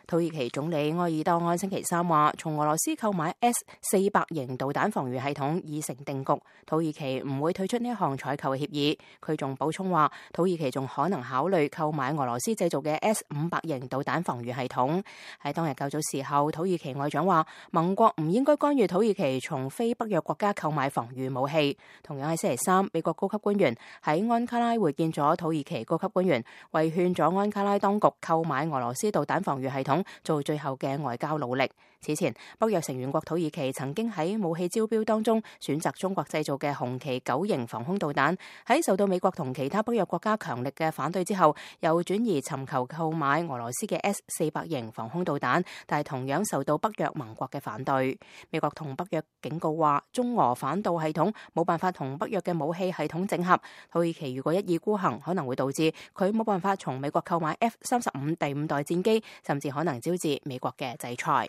土耳其總理埃爾多安星期三話，從俄羅斯購買 S-400 型導彈防禦系統已成定局，土耳其唔會退出呢一項採購嘅協議。佢仲補充話，土耳其仲可能考慮購買俄羅斯製造嘅 S-500 型導彈防禦系統。喺當日較早時候，土耳其外長話，盟國唔應該干預土耳其從非北約國家購買防禦武器。同樣喺星期三，美國高級官員喺安卡拉會見咗土耳其高級官員，為勸咗安卡拉當局購買俄羅斯導彈防禦系統做最後嘅外交努力。此前，北約成員國土耳其曾經喺武器招標當中選擇中國製造嘅紅旗9型防空導彈，喺受到美國同其他北約國家強力嘅反對之後，又轉移尋求購買俄羅斯嘅 S-400 型防空導彈，但係同樣受到北約盟國嘅反對。美國同北約警告話，中俄反導系統冇辦法同北約嘅武器系統整合，土耳其如果一意孤行，可能會導致佢冇辦法從美國購買 F-35第5代戰機，甚至可能招致美國嘅制裁。